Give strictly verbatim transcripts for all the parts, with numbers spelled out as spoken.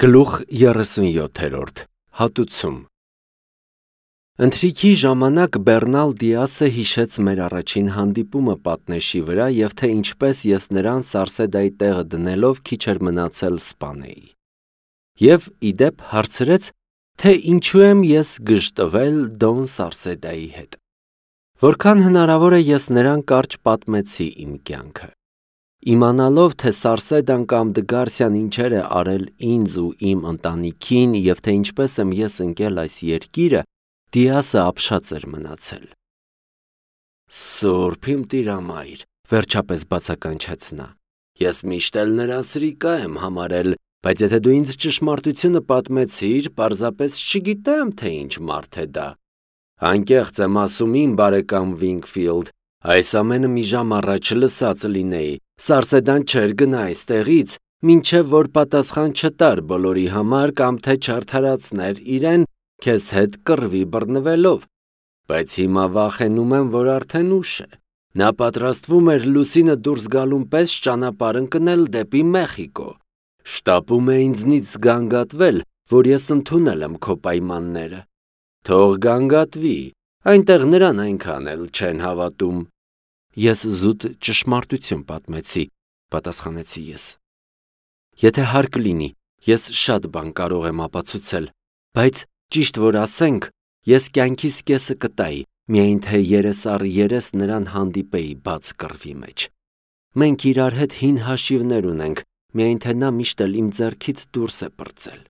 Գլուխ երեսունյոթերորդ Հատուցում Ընթրիքի ժամանակ Բեռնալ Դիասը հիշեց մեր առաջին հանդիպումը պատնեշի վրա և թե ինչպես ես նրան Սարսեդայի տեղը դնելով քիչ էր մնացել սպանեի։ Եվ իդեպ հարցրեց, թե ինչու եմ ես գժտվել Դոն Սարսեդայի հետ։ Որքան հնարավոր է ես նրան կարճ պատմեցի իմ կյանքը։ Իմանալով, թե Սարսեդան կամ Դգարսյան ինչեր է արել ինձ ու իմ ընտանիքին և թե ինչպես եմ ես ընկել այս երկիրը, Դիասը ապշած էր մնացել։ Սուրբ իմ տիրամայր, վերջապես բացականչեց նա, ես միշտ էլ նրան սրիկա եմ համարել, բայց եթե դու ինձ ճշմարտությունը պատմեցիր, պարզապես չգիտեմ, թե ինչ մարդ է դա։ Անկեղծ եմ ասում իմ բարեկամ Վինգֆիլդ, այս ամենը մի ժամ առաջ լսած լինեի, Սարսեդան չէր գնա այստեղից, մինչև որ պատասխան չտար բոլորի համար կամ թե չարդարացներ իրեն քեզ հետ կռվի բռնվելով, բայց հիմա վախենում եմ, որ արդեն ուշ է։ Նա պատրաստվում էր լուսինը դուրս գալուն պես ճանապարհ ընկնել դեպի Մեխիկո։ Շտապում է ինձնից գանգատվել, որ ես ընդունել եմ քո պայմանները։ Թող գանգատվի, այնտեղ նրան այնքան էլ չեն հավատում։ Ես զուտ ճշմարտություն պատմեցի, պատասխանեցի ես։ Եթե հարկ լինի, ես շատ բան կարող եմ ապացուցել, բայց ճիշտ որ ասենք, ես կյանքիս կեսը կտայի, միայն թե երես առ երես նրան հանդիպեի բաց կռվի մեջ։ Մենք իրար հետ հին հաշիվներ ունենք, միայն թե նա միշտ էլ իմ ձեռքից դուրս է պրծել։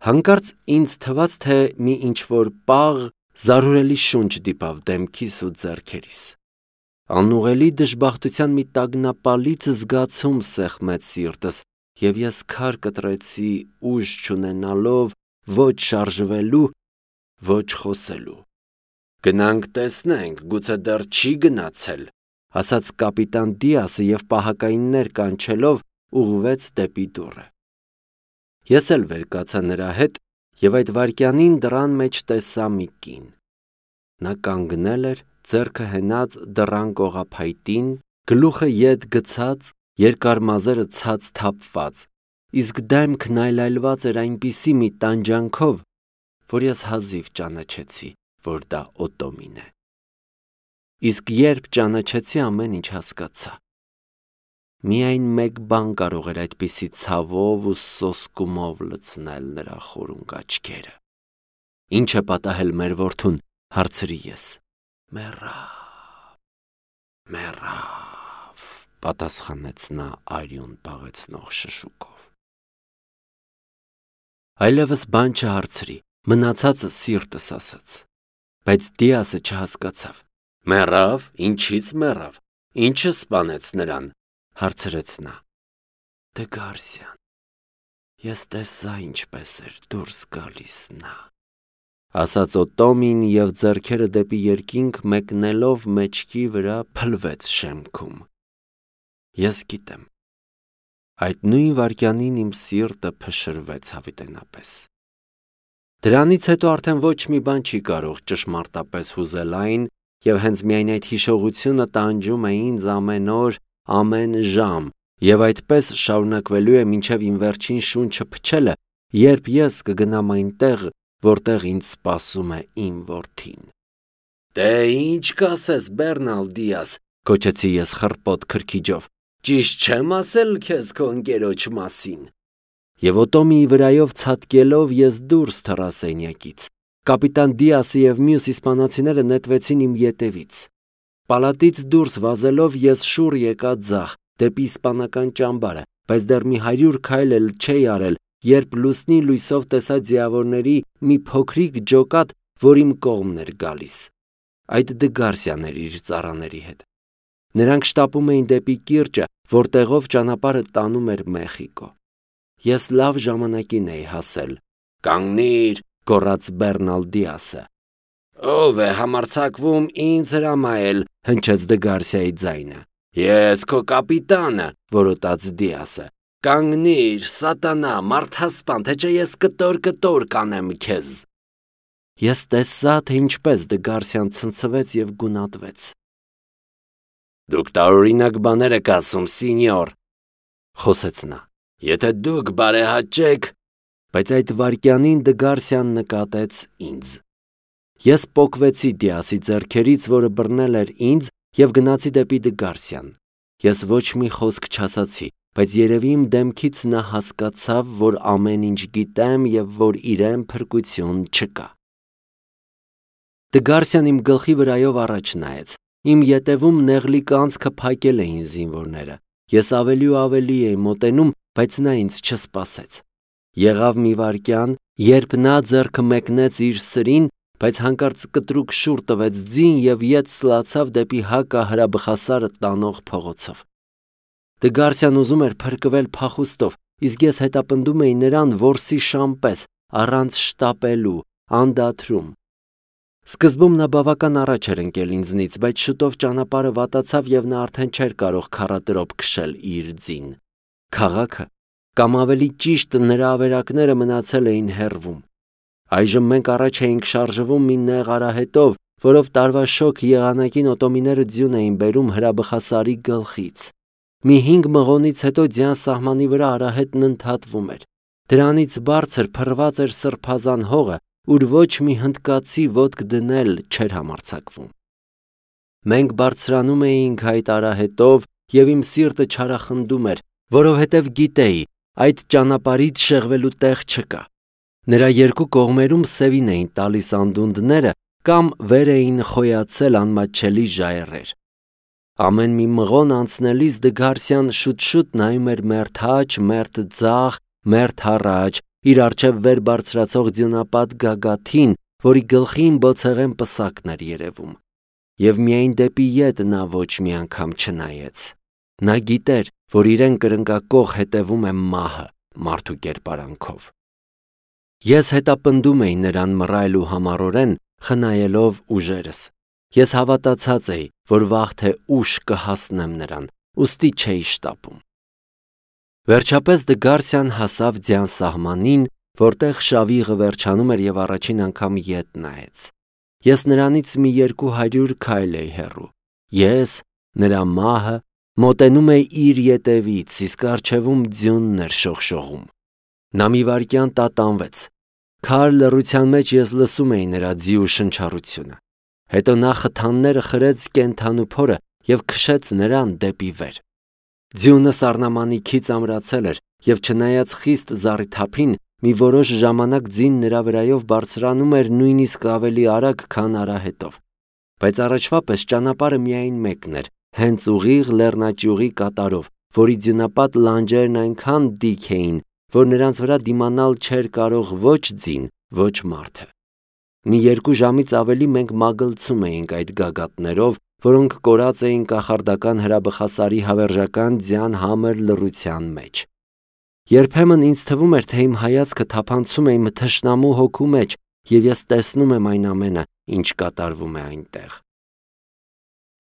Հանկարծ ինձ թվաց, թե մի ինչ-որ պաղ, զարհուրելի շունչ դիպավ դեմքիս ու ձեռքերիս։ Անուղելի դժբախտության մի տագնապալից զգացում սեղմեց սիրտս, և ես քար կտրեցի ուժ չունենալով ոչ շարժվելու, ոչ խոսելու։ Գնանք տեսնենք, գուցե դեռ չի գնացել, ասաց կապիտան Դիասը և պահակայիններ կանչելով ուղղվեց դեպի դուռը։ Ես էլ վեր կացա նրա հետ և այդ վայրկյանին դռան մեջ տեսա մի կին։ Նա կանգնել էր, ձեռքը հենած դռան կողափայտին, գլուխը ետ գցած, երկար մազերը ցած թափված, իսկ դեմքն այլայլված էր այնպիսի մի տանջանքով, որ ես հազիվ ճանաչեցի, որ դա Օտոմին է։ Իսկ երբ ճանաչեցի, ամեն ինչ հասկացա։ Միայն մեկ բան կարող էր այդպիսի ցավով ու սոսկումով լցնել նրա խորունգ աչքերը։ Ինչ է պատահել մեր որդուն, հարցրի ես։ Մեռավ, մեռավ, պատասխանեց նա արյուն պաղեցնող շշուկով։ Այլևս բան չհարցրի, մնացածը սիրտս ասաց, բայց Դիասը չհասկացավ։ Մեռավ, ինչից մեռավ, ինչը սպանեց նրան, հարցրեց նա։ Դգարսյան, ես տեսա ինչպես էր դուրս գալիս նա, ասաց Օտոմին և ձեռքերը դեպի երկինք մեկնելով մեջքի վրա փլվեց շեմքում։ Ես գիտեմ։ Այդ նույն վայրկյանին իմ սիրտը փշրվեց հավիտենապես։ Դրանից հետո արդեն ոչ մի բան չի կարող ճշմարտապես հուզել այն, և հենց միայն այդ հիշողությունը տանջում է ինձ ամեն օր, ամեն ժամ, և այդպես շարունակվելու է մինչև իմ վերջին շունչը փչելը, երբ ես կգնամ այնտեղ, որտեղ ինձ սպասում է իմ որդին։ Դե ինչ կասես, Բեռնալ Դիաս, կոչեցի ես խռպոտ քրքիջով, ճիշտ չեմ ասել քեզ քո ընկերոջ մասին։ Եվ Օտոմիի վրայով ցատկելով ես դուրս թռա սենյակից։ Կապիտան Դիասը և մյուս իսպանացիները նետվեցին իմ ետևից։ Պալատից դուրս վազելով ես շուռ եկա ձախ, դեպի իսպանական ճամբարը, բայց դեռ մի հարյուր քայլ էլ չէի արել, երբ լուսնի լույսով տեսա ձիավորների մի փոքրիկ ջոկատ, որ իմ կողմն էր գալիս։ Այդ Դգարսյան էր իր ծառաների հետ։ Նրանք շտապում էին դեպի կիրճը, որտեղով ճանապարհը տանում էր Մեխիկո։ Ես լավ ժամանակին էի հասել։ Կանգնիր, գոռաց Բեռնալ Դիասը։ Ո՞վ է համարձակվում ինձ հրամայել, հնչեց Դգարսիայի ձայնը։ Ես քո կապիտանը, որոտաց Դիասը։ Կանգնիր, սատանա, մարդասպան, թե չէ ես կտոր-կտոր կանեմ քեզ։ Ես տեսա, թե ինչպես Դգարսյան ցնցվեց և գունատվեց։ Դուք տարօրինակ բաներ եք ասում, սինյոր, խոսեց նա։ Եթե դուք բարեհաճեք, բայց այդ վայրկյանին Դգարսյան նկատեց ինձ։ Ես պոկվեցի Դիասի ձեռքերից, որը բռնել էր ինձ, և գնացի դեպի Դգարսյան։ Ես ոչ մի խոսք չասացի, բայց երևի իմ դեմքից նա հասկացավ, որ ամեն ինչ գիտեմ և որ իրեն փրկություն չկա։ Դգարսյան իմ գլխի վրայով առաջ նայեց։ Իմ ետևում նեղլիկ անցքը փակել էին զինվորները։ Ես ավելի ու ավելի էի մոտենում, բայց նա ինձ չսպասեց։ Եղավ մի վայրկյան, երբ նա ձեռքը մեկնեց իր սրին, բայց հանկարծ կտրուկ շուռ տվեց ձին և ետ սլացավ դեպի հակահրաբխասարը տանող փողոցով։ Դգարսյան ուզում էր փրկվել փախուստով, իսկ ես հետապնդում էի նրան որսի շան պես, առանց շտապելու, անդադրում։ Սկզբում նա բավական առաջ էր ընկել ինձնից, բայց շուտով ճանապարհը վատացավ և նա արդեն չէր կարող քառատրոփ քշել իր ձին։ Քաղաքը, կամ ավելի ճիշտ նրա ավերակները մնացել էին հեռվում։ Այժմ մենք առաջ էինք շարժվում մի նեղ արահետով, որով տարվա շոգ եղանակին օտոմիները ձյուն էին բերում հրաբխասարի գլխից։ Մի հինգ մղոնից հետո ձյան սահմանի վրա արահետն ընդհատվում էր։ Դրանից բարձր փռված էր սրբազան հողը, ուր ոչ մի հնդկացի ոտք դնել չէր համարձակվում։ Մենք բարձրանում էինք այդ արահետով, և իմ սիրտը չարախնդում էր, որովհետև գիտեի, այդ ճանապարհից շեղվելու տեղ չկա։ Նրա երկու կողմերում սևին էին տալիս անդունդները կամ վեր էին խոյացել անմատչելի ժայռեր։ Ամեն մի մղոն անցնելիս Դգարսյան շուտ-շուտ նայում էր մերթ աջ, մերթ ձախ, մերթ առաջ, իր առջև վեր բարձրացող ձյունապատ գագաթին, որի գլխին բոցեղեն պսակն էր երևում։ Եվ միայն դեպի ետ նա ոչ մի անգամ չնայեց։ Նա գիտեր, որ իրեն կրնկակող հետևում է մահը մարդու կերպարանքով։ Ես հետապնդում էի նրան մռայլ ու համառորեն, խնայելով ուժերս։ Ես հավատացած էի, որ վաղ թե ուշ կհասնեմ նրան, ուստի չէի շտապում։ Վերջապես Դգարսյան հասավ ձյան սահմանին, որտեղ շավիղը վերջանում էր և առաջին անգամ ետ նայեց։ Ես նրանից մի երկու հարյուր քայլ էի հեռու։ Ես, նրա մահը, մոտենում էի իր ետևից, իսկ առջևում ձյունն էր շողշողում։ Նա մի վայրկյան տատանվեց։ Քար լռության մեջ ես լսում էի նրա ձիու շնչառությունը։ Հետո նա խթանները խրեց կենդանու փորը և քշեց նրան դեպի վեր։ Ձյունը սառնամանիքից ամրացել էր, և չնայած խիստ զառիթափին, մի որոշ ժամանակ ձին նրա վրայով բարձրանում էր նույնիսկ ավելի արագ, քան արահետով։ Բայց առաջվա պես ճանապարհը միայն մեկն էր, հենց ուղիղ լեռնաճյուղի կատարով, որի ձյունապատ լանջերն այնքան դիք էին, որ նրանց վրա դիմանալ չէր կարող ոչ ձին, ոչ մարդը։ Մի երկու ժամից ավելի մենք մագլցում էինք այդ գագաթներով, որոնք կորած էին կախարդական հրաբխասարի հավերժական ձյան համր լռության մեջ։ Երբեմն ինձ թվում էր, թե իմ հայացքը թափանցում է իմ թշնամու հոգու մեջ, և ես տեսնում եմ այն ամենը, ինչ կատարվում է այնտեղ։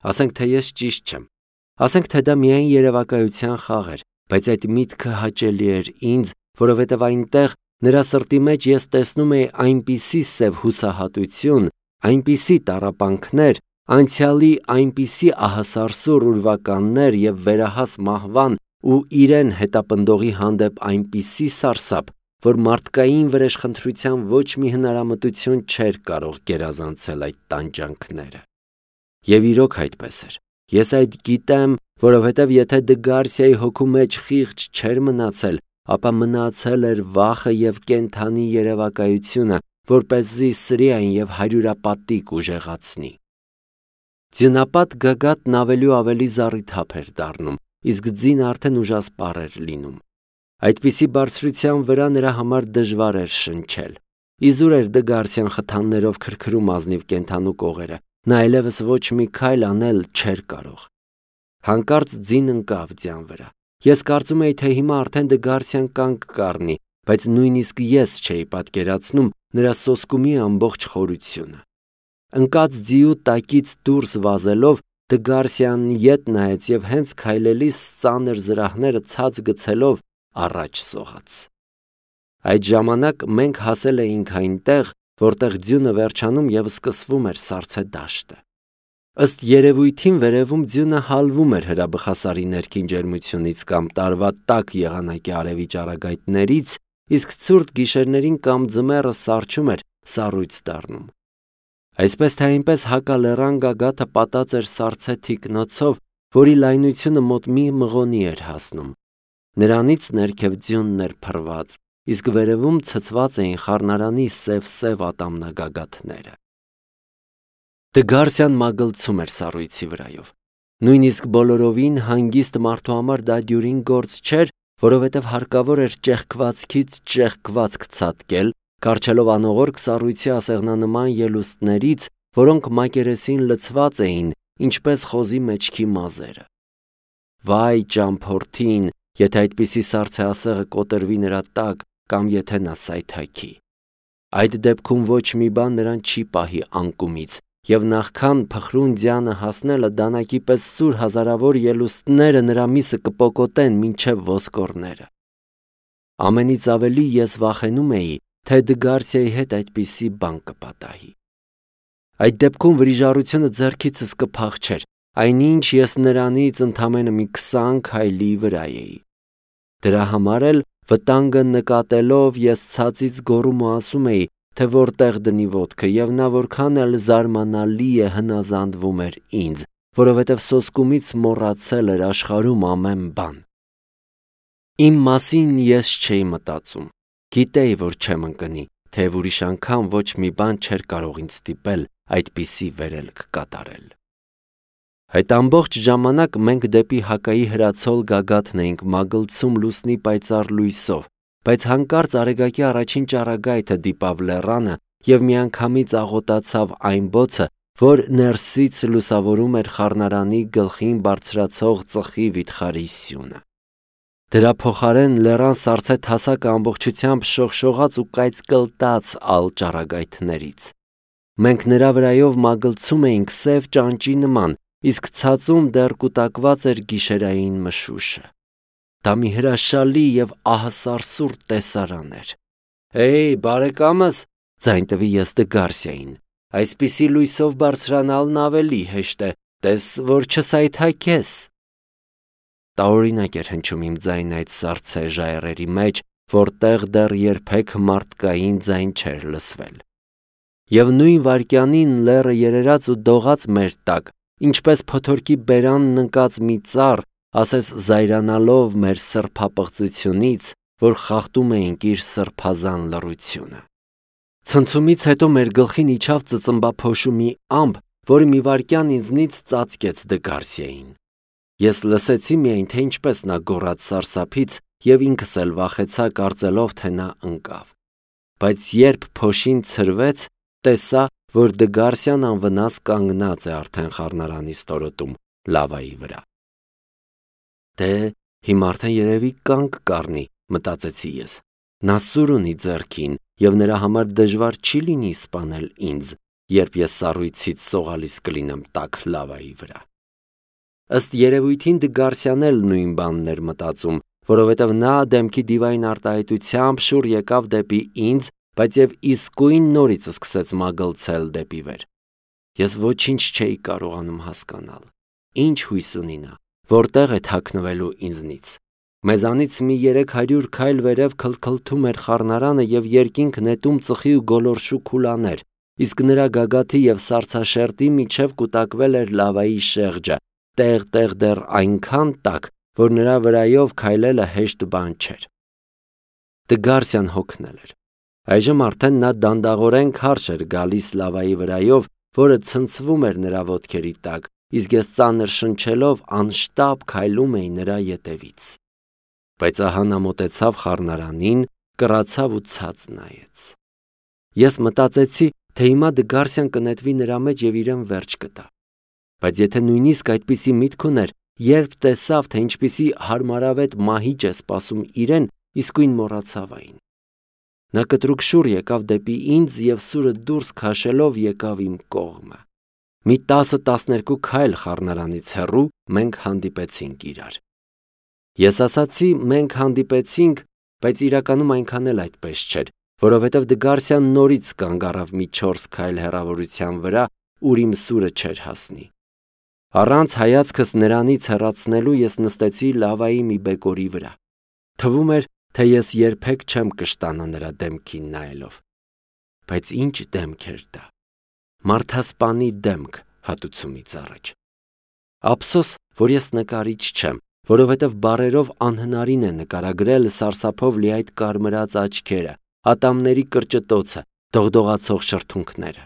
Ասենք թե ես ճիշտ չեմ, ասենք թե դա միայն երևակայության խաղ էր, բայց այդ միտքը հաճելի էր ինձ, որովհետև այնտեղ նրա սրտի մեջ ես տեսնում էի այնպիսի սև հուսահատություն, այնպիսի տառապանքներ, անցյալի այնպիսի ահասարսուռ ուրվականներ և վերահաս մահվան ու իրեն հետապնդողի հանդեպ այնպիսի սարսափ, որ մարդկային վրեժխնդրության ոչ մի հնարամտություն չէր կարող գերազանցել այդ տանջանքները։ Եվ իրոք այդպես էր։ Ես այդ գիտեմ, որովհետև եթե Դգարսիայի հոգու մեջ խիղճ չէր մնացել, ապա մնացել էր վախը և կենդանի երևակայությունը, որպեսզի սրի այն և հարյուրապատիկ ուժեղացնի։ Ձյունապատ գագաթն ավելի ու ավելի զառիթափ էր դառնում, իսկ ձին արդեն ուժասպառ էր լինում։ Այդպիսի բարձրության վրա նրա համար դժվար էր շնչել։ Իզուր էր Դգարսյան խթաններով քրքրում ազնիվ կենդանու կողերը, նա այլևս ոչ մի քայլ անել չէր կարող։ Հանկարծ ձին ընկավ ձյան վրա։ Ես կարծում էի, թե հիմա արդեն Դգարսյան կանգ կառնի, բայց նույնիսկ ես չէի պատկերացնում նրա սոսկումի ամբողջ խորությունը։ Ընկած ձիու տակից դուրս վազելով Դգարսյանն ետ նայեց և հենց քայլելիս ծանր զրահները ցած գցելով առաջ սողաց։ Այդ ժամանակ մենք հասել էինք այնտեղ, որտեղ ձյունը վերջանում և սկսվում էր սառցե դաշտը։ Ըստ երևույթին վերևում ձյունը հալվում էր հրաբխասարի ներքին ջերմությունից կամ տարվա տաք եղանակի արևի ճառագայթներից, իսկ ցուրտ գիշերներին կամ ձմեռը սառչում էր, սառույց դառնում։ Այսպես թե այնպես հակալեռան գագաթը պատած էր սառցե թիկնոցով, որի լայնությունը մոտ մի մղոնի էր հասնում։ Նրանից ներքև ձյունն էր փռված, իսկ վերևում ցցված էին խառնարանի սև-սև ատամնագագաթները։ Դգարսյան մագլցում էր սառույցի վրայով։ Նույնիսկ բոլորովին հանգիստ մարդու համար դա դյուրին գործ չէր, որովհետև հարկավոր էր ճեղքվածքից ճեղքվածք ցատկել, կառչելով անողորք սառույցի ասեղնանման ելուստներից, որոնք մակերեսին լցված էին, ինչպես խոզի մեջքի մազերը։ Վայ ճամփորդին, եթե այդպիսի սառցե ասեղը կոտրվի նրա տակ կամ եթե նա սայթաքի։ Այդ դեպքում ոչ մի բան նրան չի պահի անկումից, և նախքան փխրուն ձյանը հասնելը դանակի պես սուր հազարավոր ելուստները նրա միսը կպոկոտեն մինչև ոսկորները։ Ամենից ավելի ես վախենում էի, թե Դգարսիայի հետ այդպիսի բան կպատահի։ Այդ դեպքում վրիժառությունը ձեռքիցս կփախչեր, այնինչ ես նրանից ընդամենը մի քսան քայլի վրա էի։ Դրա համար էլ վտանգը նկատելով ես ցածից գոռում ու ասում էի, թե որտեղ դնի ոտքը, և նա որքան էլ զարմանալի է հնազանդվում էր ինձ, որովհետև սոսկումից մոռացել էր աշխարհում ամեն բան։ Իմ մասին ես չէի մտածում, գիտեի, որ չեմ ընկնի, թեև ուրիշ անգամ ոչ մի բան չէր կարող ինձ ստիպել այդպիսի վերելք կատարել։ Այդ ամբողջ ժամանակ մենք դեպի հակայի հրացոլ գագաթն էինք մագլցում լուսնի պայծառ լույսով, բայց հանկարծ Արեգակի առաջին ճառագայթը դիպավ լեռանը և միանգամից աղոտացավ այն բոցը, որ ներսից լուսավորում էր խառնարանի գլխին բարձրացող ծխի վիթխարի սյունը։ Դրա փոխարեն լեռան սառցե թասակը ամբողջությամբ շողշողաց ու կայծկլտաց ալ ճառագայթներից։ Մենք նրա վրայով մագլցում էինք սև ճանճի նման, իսկ ցածում դեռ կուտակված էր գիշերային մշուշը։ Դա մի հրաշալի և ահասարսուռ տեսարան էր։ «Հեյ, բարեկամս», ձայն տվի ես Դգարսիային, «այսպիսի լույսով բարձրանալն ավելի հեշտ է, տես, որ չսայթաքես»։ Տարօրինակ էր հնչում իմ ձայնը այդ սառցե ժայռերի մեջ, որտեղ դեռ երբեք մարդկային ձայն չէր լսվել։ Եվ նույն վայրկյանին լեռը երերաց ու դողաց մեր տակ, ինչպես փոթորկի բերանն ընկած մի ծառ, ասես զայրանալով մեր սրբապղծությունից, որ խախտում էինք իր սրբազան լռությունը։ Ցնցումից հետո մեր գլխին իջավ ծծմբափոշու մի ամպ, որը մի վայրկյան ինձնից ծածկեց Դգարսիային։ Ես լսեցի միայն, թե ինչպես նա գոռաց սարսափից, և ինքս էլ վախեցա, կարծելով, թե նա ընկավ։ Բայց երբ փոշին ցրվեց, տեսա, որ Դգարսիան անվնաս կանգնած է արդեն խառնարանի ստորոտում, լավայի վրա։ Դե, հիմա արդեն երևի կանգ կառնի, մտածեցի ես։ Նա սուր ունի ձեռքին, և նրա համար դժվար չի լինի սպանել ինձ, երբ ես սառույցից սողալիս կլինեմ տաք լավայի վրա։ Ըստ երևույթին Դգարսիան էլ նույն բանն էր մտածում, որովհետև նա դեմքի դիվային արտահայտությամբ շուռ եկավ դեպի ինձ, բայց և իսկույն նորից սկսեց մագլցել դեպի վեր։ Ես ոչինչ չէի կարողանում հասկանալ։ Ինչ հույս ունի նա, որտեղ է թաքնվելու ինձնից։ Մեզանից մի երեք հարյուր քայլ վերև քլքլթում էր խառնարանը և երկինք նետում ծխի ու գոլորշու քուլաներ, իսկ նրա գագաթի և սառցաշերտի միջև կուտակվել էր լավայի շեղջը, տեղ-տեղ դեռ այնքան տաք, որ նրա վրայով քայլելը հեշտ բան չէր։ Դգարսիան հոգնել էր։ Այժմ արդեն նա դանդաղորեն քարշ էր գալիս լավայի վրայով, որը ցնցվում էր նրա ոտքերի տակ, իսկ ես ծանր շնչելով անշտապ քայլում էի նրա ետևից։ Բայց ահա նա մոտեցավ խառնարանին, կռացավ ու ցած նայեց։ Ես մտածեցի, թե հիմա Դգարսիան կնետվի նրա մեջ և իրեն վերջ կտա։ Բայց եթե նույնիսկ այդպիսի միտք ուներ, երբ տեսավ, թե ինչպիսի հարմարավետ մահիճ է սպասում իրեն, իսկույն մոռացավ այն։ Նա կտրուկ շուռ եկավ դեպի ինձ և սուրը դուրս քաշելով եկավ իմ կողմը։ Մի տասը-տասներկու քայլ խառնարանից հեռու մենք հանդիպեցինք իրար։ Ես ասացի մենք հանդիպեցինք, բայց իրականում այնքան էլ այդպես չէր, որովհետև Դգարսիան նորից կանգ առավ մի չորս քայլ հեռավորության վրա, ուր իմ սուրը չէր հասնի։ Առանց հայացքս նրանից հեռացնելու ես նստեցի լավայի մի բեկորի վրա։ Թվում էր, թե ես երբեք չեմ կշտանա նրա դեմքին նայելով։ Բայց ինչ դեմք էր դա։ Մարդասպանի դեմք հատուցումից առաջ։ Ափսոս, որ ես նկարիչ չեմ, որովհետև բառերով անհնարին է նկարագրել սարսափով լի այդ կարմրած աչքերը, ատամների կրճտոցը, դողդողացող շրթունքները։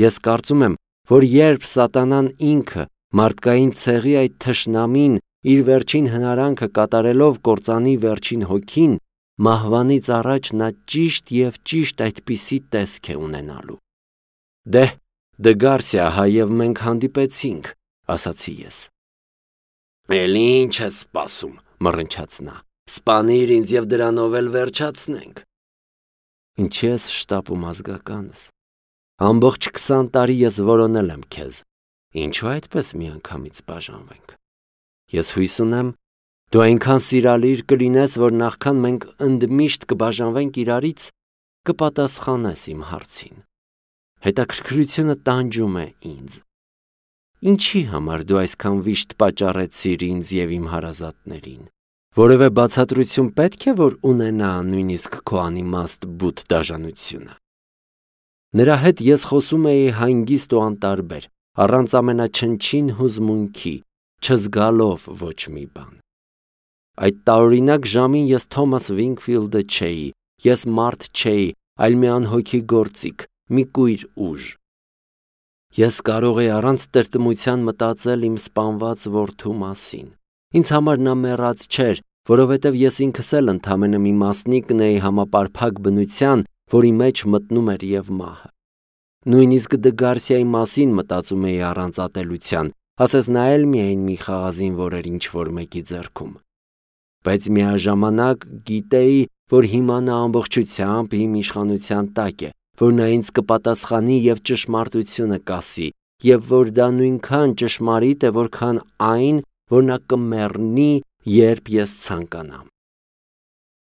Ես կարծում եմ, որ երբ սատանան ինքը մարդկային ցեղի այդ թշնամին իր վերջին հնարանքը կատարելով կործանի վերջին հոգին, մահվանից առաջ նա ճիշտ և ճիշտ այդպիսի տեսք է ունենալու։ Դե, Դգարսիա, հայև մենք հանդիպեցինք, ասացի ես։ Էլ ինչ ես սպասում, մռնչաց նա, սպանիր ինձ և դրանով էլ վերջացնենք։ Ինչի ես շտապում ազգականս։ Ամբողջ քսան տարի ես որոնել եմ քեզ, ինչու այդպես միանգամից բաժանվենք։ Ես հույս ունեմ, դու այնքան սիրալիր կլինես, որ նախքան մենք ընդմիշտ կբաժանվենք իրարից, կպատասխանես իմ հարցին։ Հետաքրքրությունը տանջում է ինձ։ Ինչի համար դու այսքան վիշտ պատճառեցիր ինձ և իմ հարազատներին։ Որևէ բացատրություն պետք է, որ ունենա նույնիսկ քո անիմաստ բութ դաժանությունը։ Նրա հետ ես խոսում էի հանգիստ ու անտարբեր, առանց ամենաչնչին հուզմունքի, չզգալով ոչ մի բան։ Այդ տարօրինակ ժամին ես Թոմաս Վինքֆիլդը չէի, ես մարդ չէի, այլ մի անհոգի գործիք, մի կույր ուժ։ Ես կարող էի առանց տրտմության մտածել իմ սպանված որդու մասին։ Ինձ համար նա մեռած չէր, որովհետև ես ինքս էլ ընդամենը մի մասնիկն էի համապարփակ բնության, որի մեջ մտնում էր և մահը։ Նույնիսկ Դգարսիայի մասին մտածում էի առանց ատելության, ասես նա էլ միայն մի խաղազին որ էր ինչ-որ մեկի ձեռքում։ Բայց միաժամանակ գիտեի, որ հիմա նա ամբողջությամբ իմ իշխանության տակ է, որ նա ինձ կպատասխանի և ճշմարտությունը կասի, և որ դա նույնքան ճշմարիտ է, որքան այն, որ նա կմեռնի, երբ ես ցանկանամ։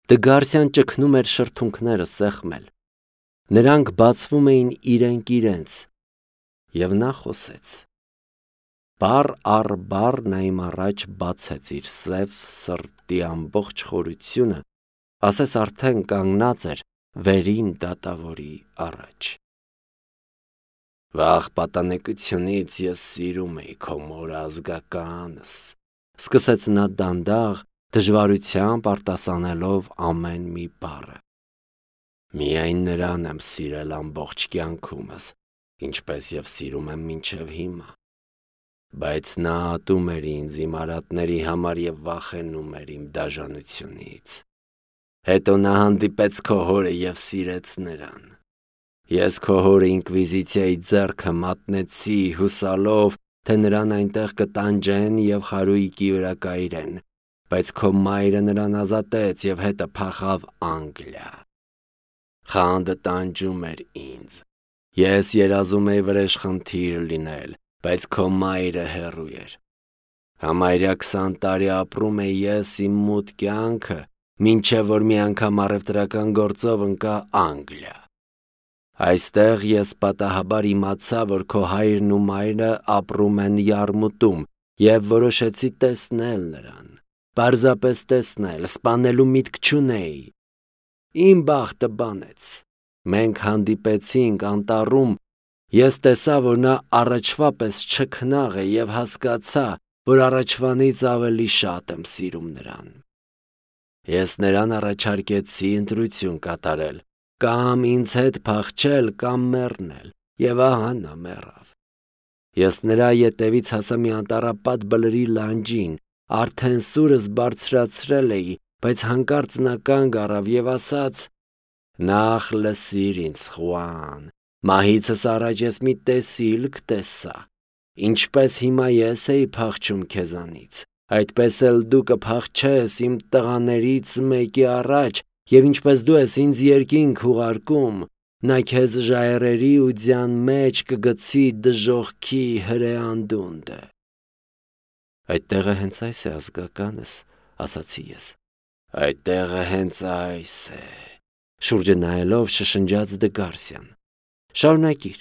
Դգարսիան ճգնում էր շրթունքները սեղմել։ Նրանք բացվում էին իրենք իրենց, և նա խոսեց։ Բառ առ բառ նա իմ առաջ բացեց իր սև սրտի ամբողջ խորությունը, ասես արդեն կանգնած էր վերին դատավորի առաջ։ Վաղ պատանեկությունից ես սիրում էի քո մոր ազգականս, սկսեց նա դանդաղ, դժվարությամբ արտասանելով ամեն մի բառը։ Միայն նրան եմ սիրել ամբողջ կյանքումս, ինչպես և սիրում եմ մինչև հիմա։ Բայց նա ատում էր ինձ իմ արատների համար և վախենում էր իմ դաժանությունից։ Հետո նա հանդիպեց քո հորը և սիրեց նրան։ Ես քո հորը ինկվիզիցիայի ձեռքը մատնեցի, հուսալով, թե նրան այնտեղ կտանջեն և խարույկի վրա կայրեն, բայց քո մայրը նրան ազատեց և հետը փախավ Անգլիա։ Խանդը տանջում էր ինձ։ Ես երազում էի վրեժխնդիր լինել, բայց քո մայրը հեռու էր։ Համարյա քսան տարի ապրում էի ես իմ մութ կյանքը, մինչև որ մի անգամ առևտրական գործով ընկա Անգլիա։ Այստեղ ես պատահաբար իմացա, որ քո հայրն ու մայրը ապրում են Յարմուտում և որոշեցի տեսնել նրան, պարզապես տեսնել, սպանելու միտք չունեի։ Իմ բախտը բանեց։ Մենք հանդիպեցինք անտառում, ես տեսա, որ նա առաջվա պես չքնաղ է և հասկացա, որ առաջվանից ավելի շատ եմ սիրում նրան։ Ես նրան առաջարկեցի ընտրություն կատարել, կամ ինձ հետ փախչել, կամ մեռնել, և ահա նա մեռավ։ Ես նրա ետևից հասա մի անտառապատ բլրի լանջին, արդեն սուրս բարձրացրել էի, բայց հանկարծ նա կանգ առավ և ասաց. «Նախ լսիր ինձ, Խուան, մահիցս առաջ ես մի տեսիլք տեսա, ինչպես հիմա ես էի փախչում քեզանից, այդպես էլ դու կփախչես իմ տղաներից մեկի առաջ, և ինչպես դու ես ինձ երկինք ուղարկում, նա քեզ ժայռերի ու ձյան մեջ կգցի դժոխքի հրեանդունդը»։ Այդ տեղը հենց այս է ազգականս, ասացի ես։ Այդ տեղը հենց այս է, շուրջը նայելով շշնջաց Դգարսիան։ Շարունակիր,